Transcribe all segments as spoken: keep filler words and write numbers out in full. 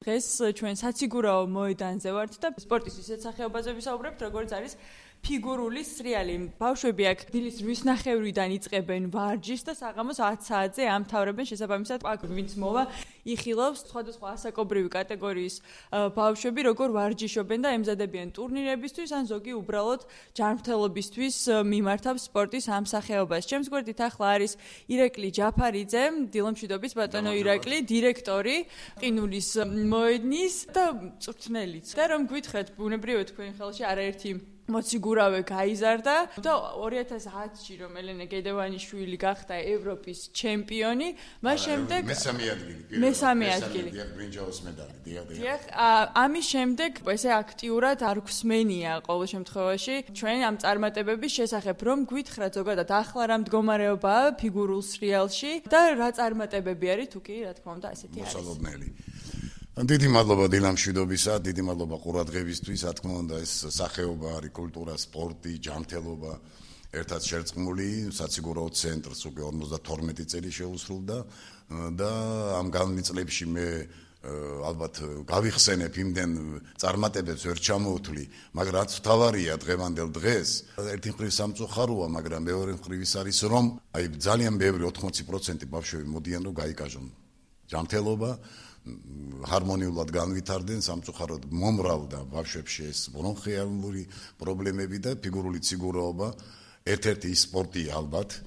დღეს ჩვენ საციგურაო მოედანზე ვართ და სპორტის ისეთ სახეობაზე ვისაუბრებთ, როგორც არის ფიგურული სრიალი. ბავშვები აქ დილის რვის ნახევრიდან იწყებენ ვარჯიშს და საღამოს ათ საათზე ამთავრებენ. შესაბამისად, აქ ვინც მოვა იხილავს სხვადასხვა ასაკობრივი კატეგორიის ბავშვები, როგორ ვარჯიშობენ და ემზადებიან ტურნირებისთვის, ან ზოგი უბრალოდ ჯანმრთელობისთვის მიმართავს სპორტის ამ სახეობას. ჩემს გვერდით ახლა არის ირაკლი ჯაფარიძე, დილომშვიდობის ბატონო ირაკლი, დირექტორი ყინულის მოედნის და მწვრთნელიც. და რომ გვითხრათ, ბუნებრივია თქვენ ხელში არაერთი მოციგურავე გაიზარდა და ორი ათას ათში რომ ელენე გედევანიშვილი გახდა ევროპის ჩემპიონი, მას შემდეგ მესამე ადგილი, მესამე ადგილი. ბრინჯაოს медаლი, დიახ. დიახ, ამის შემდეგ ესე აქტიურად არ გვსმენია ყოველ შემთხვევაში ჩვენ ამ წარმატებების შესახებ, რომ გვითხრათ ზოგადად ახლა რა მდგომარეობაა ფიგურულ სრიალში და რა წარმატებები არის თუ კი რა თქმა უნდა ასეთი არის. მოსალოდნელი. დიდი მადლობა დილამშვიდობისა, დიდი მადლობა ყურადღებისთვის, რა თქმა უნდა ეს სახეობა არის კულტურა, სპორტი, ჯანმრთელობა, ერთად შერწყმული, საციგურაო ცენტრს უკვე ორმოცდათორმეტი წელი შეუსრულდა და ამ განვლილ წლებში მე ალბათ გავიხსენებ იმდენ წარმატებებს ვერ ჩამოვთვლი, მაგრამ რაც თავარია დღევანდელ დღეს, ერთი მხრივ სამწუხაროა, მაგრამ მეორე მხრივ ის არის, რომ აი ძალიან ბევრი ოთხმოცი პროცენტი ბავშვები მოდიან რომ გაიკაჟონ ჯანმრთელობა ჰარმონიულად განვითარდნენ, სამწუხაროდ მომრავლდა ბავშვებში ეს ბრონხიალური პრობლემები და ფიგურული ციგურაობა ერთ-ერთი სპორტია ალბათ,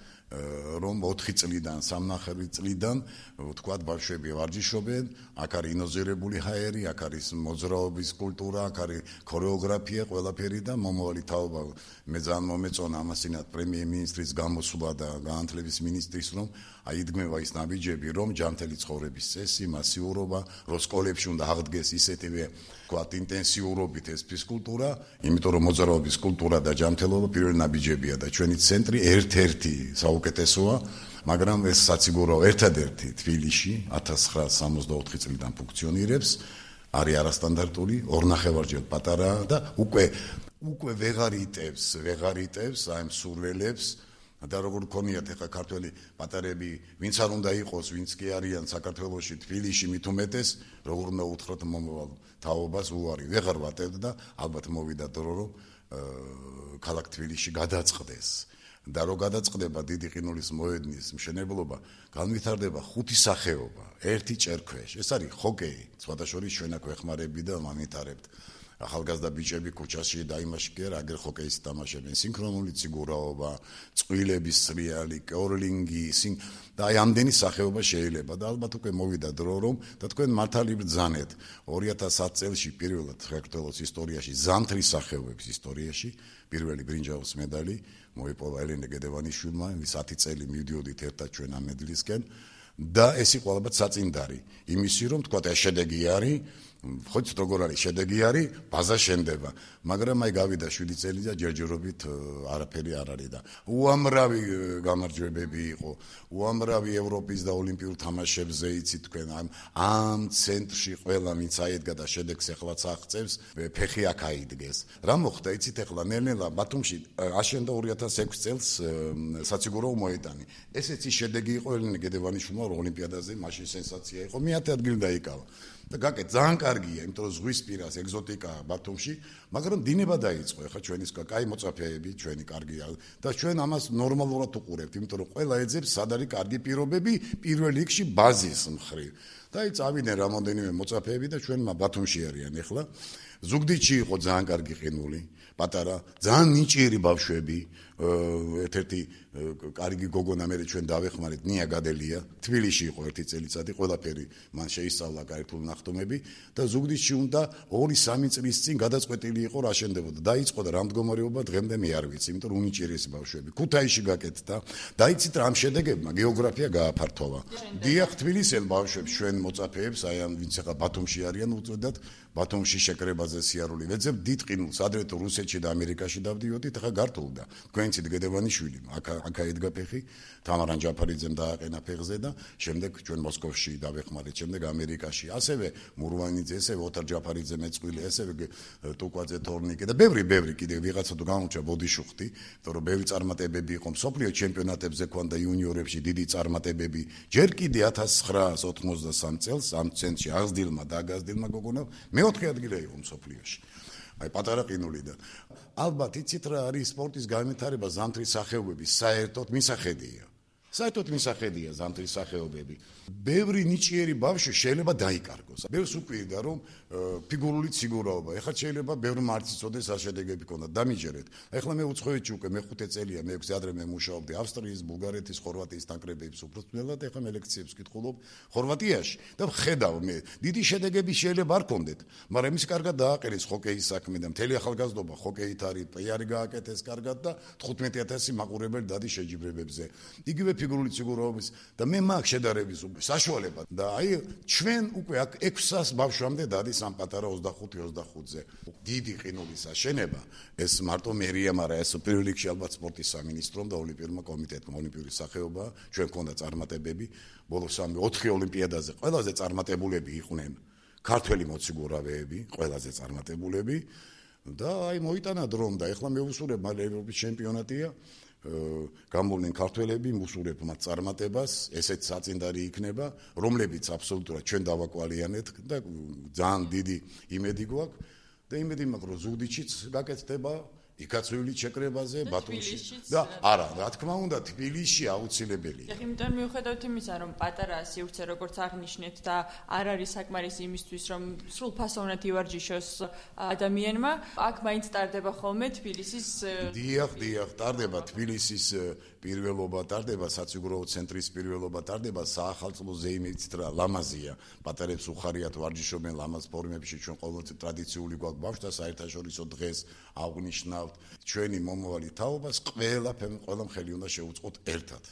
რომ ოთხი წლიდან, სამნახევრი წლიდან ვთქვათ ბავშვები ვარჯიშობენ, აქ არის ინოზირებული ჰაერი, აქ არის მოძრაობის კულტურა, აქ არის ქორეოგრაფია, ყველაფერი და მომავალი თაობა მე ძალიან მომეწონა ამასინათ პრემიერ-მინისტრის გამოსვლა და განათლების მინისტრის რომ აი იდგმება ის ნაბიჯები, რომ ჯანმრთელი ცხოვრების წესი, მასიურობა, რომ სკოლებში უნდა აღდგეს ისეთივე ვთქვათ ინტენსიურობით ეს ფიზკულტურა, იმიტომ რომ მოძრაობის კულტურა და ჯანმრთელობა პირველი ნაბიჯებია და ჩვენი ცენტრი ერთ-ერთი საუკეთესოა, მაგრამ ეს საციგურაო ერთადერთი თბილისში ათას ცხრაასი სამოცდაოთხი წლიდან ფუნქციონირებს, არის არასტანდარტული, ორნახევარჯერ პატარაა და უკვე უკვე ვეღარ იტევს, ვეღარ იტევს აი მსურველებს და როგორ გქონიათ ახლა ქართველი პატარები, ვინც არ უნდა იყოს, ვინც კი არიან საქართველოში, თბილისში მით უმეტეს, როგორ უნდა უთხრათ მომავალ თაობას უარი ვეღარ ვატევთ და ალბათ მოვიდა დრო რომ ქალაქ თბილისში გადაწყდეს. და რო გადაწყდება დიდი ყინულის მოედნის მშენებლობა, განვითარდება ხუთი სახეობა, ერთი ჭერქვეშ. ეს არის ჰოკეი, სხვათა შორის ჩვენ აქ ვეხმარები და მამინთარებთ. ახალგაზრდა ბიჭები ქუჩაში და იმაში კი არა, აგერ ჰოკეის თამაშობენ, სინქრონული ციგურაობა, წყვილების სრიალი, კორლინგი, და აი ამდენი სახეობა შეიძლება და ალბათ უკვე მოვიდა დრო რომ და თქვენ მართალი ბრძანეთ ორი ათას ათი წელში პირველად საქართველოს ისტორიაში ზამთრის სახეობების ისტორიაში პირველი ბრინჯაოს медаლი მოიპოვა ელენე გედევანიშვილმა, ვის ათი წელი მივდიოდით ერთად ჩვენ ამ медლისკენ და ეს იყო ალბათ საწინდარი იმისი რომ თქვა ეს შედეგი არის ხოც როგორ არის შედეგი არის ბაზა შენდება მაგრამ აი გავიდა შვიდი წელი და ჯერჯერობით არაფერი არ არის და უამრავი გამარჯვებები იყო უამრავი ევროპის და ოლიმპიურ თამაშებზე იცით თქვენ ამ ამ ცენტრში ყველა ვინც აედგა და შედეგს ეხლაც აღწევს ფეხი აქ აიდგეს რა მოხდა იცით ეხლა ნელ-ნელა ბათუმში აშენდა ორი ათას ექვსი წელს საციგურაო მოედანი ესეც ის შედეგი იყო ელენე გედევანიშვილმა ოლიმპიადაზე მაშინ სენსაცია იყო მეათე ადგილი დაიკავა და გაკეთ ძალიან კარგია, იმიტომ რომ ზღვის პირას ეგზოტიკაა ბათუმში, მაგრამ დინება დაიწყო, ხა ჩვენი კაი მოწაფეები, ჩვენი კარგია და ჩვენ ამას ნორმალურად უყურებთ, იმიტომ რომ ყველა ეძებს სად არის კარგი პირობები პირველ რიგში ბაზის მხრივ. და აი წავიდნენ რამოდენიმე მოწაფეები და ჩვენ ბათუმში არიან ახლა. ზუგდიდში იყო ძალიან კარგი ყინული, პატარა, ძალიან ნიჭიერი ბავშვები, ერთ-ერთი კარგი გოგონა მე ჩვენ დავეხმარეთ ნია გადელია, თბილისში იყო ერთი წელიწადი, ყველაფერი მან შეისწავლა კაირთულ ნახტომები და ზუგდიდში უნდა ორი სამი წლის წინ გადაწყვეტილი იყო რა შენდებოდა. დაიწყო და რა მდგომარეობა დღემდე მე არ ვიცი, იმიტომ რომ უნიჭიერესი ბავშვები. ქუთაისში გაკეთდა და იცით რა ამ შედეგებმა გეოგრაფია გააფართოვა. დიახ, თბილისელ ბავშვებს ჩვენ მოწაფეებს, აი ამ ვინც ახლა ბათუმში არიან უწოდათ, ბათუმში შეკრებაზე სიარული ვეძებ დიდ ყინულს, ადრე თუ რუსეთში და ამერიკაში დავდიოდით, ახლა გართულდა. თქვენიცით გედევანიშვილი, აქ აქ აედგა ფეხი, თამარან ჯაფარიძემ დააყენა ფეხზე და შემდეგ ჩვენ მოსკოვში დავეხმარეთ, შემდეგ ამერიკაში. ასევე მურვანიძე, ესევე ოთარ ჯაფარიძე მეწყვილე, ესევე ტუკვაძე თორნიკე და ბევრი ბევრი კიდე ვიღაცა თუ გამოჩა ბოდიშუხტი, იმიტომ რომ ბევრი წარმატებები იყო მსოფლიო ჩემპიონატებზე ქონდა იუნიორებში დიდი წარმატებები. ჯერ კიდე ათას ცხრაასი ოთხმოცდასამი ოცდასამ წელს ამ ცენტრში აღზრდილმა და აგაზრდილმა გოგონამ მეოთხე ადგილი იყო მსოფლიოში. აი პატარა ყინულიდან. ალბათ იცით რა არის სპორტის განვითარება ზამთრის სახეობების საერთოდ მისახედია. საერთოდ მისახედია ზამთრის სახეობები. ბევრი ნიჭიერი ბავშვი შეიძლება დაიკარგოს. ბევრს უკვირდა რომ ფიგურული ციგურაობა. ეხლა შეიძლება ბევრი მარცის წოდეს ასშედეგები ქონდა. დამიჯერეთ. ეხლა მე უცხოეთში უკვე მეხუთე წელია, მე ექვსი ადრე მე მუშაობდი ავსტრიის, ბულგარეთის, ხორვატიის ნაკრებების უბრალოდ ეხლა მე ლექციებს ვკითხულობ ხორვატიაში და ხედავ მე დიდი შედეგები შეიძლება არ კონდეთ, მაგრამ იმის კარგად დააყენეს ჰოკეის საქმე და მთელი ახალგაზრდობა ჰოკეით არის, პიარი გააკეთეს კარგად და თხუთმეტი ათასი მაყურებელი დადის შეჯიბრებებზე. იგივე ფიგურული ციგურაობის და მე მაგ შედარების საშუალება და აი ჩვენ უკვე აქ ექვსას ბავშვამდე დადის ამ პატარა ოცდახუთი ოცდახუთზე. დიდი ყინულის აშენება ეს მარტო მერია, მაგრამ ეს პირველ რიგში ალბათ სპორტის სამინისტრომ და ოლიმპიურმა კომიტეტმა, ოლიმპიური სახეობა, ჩვენ გქონდა წარმატებები ბოლო სამი ოთხი ოლიმპიადაზე. ყველაზე წარმატებულები იყვნენ ქართველი მოციგურავეები, ყველაზე წარმატებულები და აი მოიტანა დრომ და ეხლა მე ვუსურებ მალე ევროპის ჩემპიონატია. გამოვლენ ქართველები, მუსურებ მათ წარმატებას, ესეც საწინდარი იქნება, რომლებიც აბსოლუტურად ჩვენ დავაკვალიანეთ და ძალიან დიდი იმედი გვაქვს და იმედი მაქვს, რომ ზუგდიდშიც გაკეთდება, იქაც ვივლით შეკრებაზე, ბათუმში და არა, რა თქმა უნდა, თბილისში აუცილებელია. ეხლა იმიტომ მიუხედავთ იმისა, რომ პატარა სივრცე როგორც აღნიშნეთ და არ არის საკმარისი იმისთვის, რომ სრულფასოვნად ივარჯიშოს ადამიანმა, აქ მაინც ტარდება ხოლმე თბილისის დიახ, დიახ, ტარდება თბილისის პირველობა, ტარდება საციგურაო ცენტრის პირველობა, ტარდება საახალწლო ზეიმით რა ლამაზია. პატარებს უხარიათ ვარჯიშობენ ლამაზ ფორმებში, ჩვენ ყოველთვის ტრადიციული გვაქვს ბავშვთა საერთაშორისო დღეს აღნიშნავთ. ჩვენი მომავალი თაობას ყველა ყველა მხელი უნდა შეუწყოთ ერთად.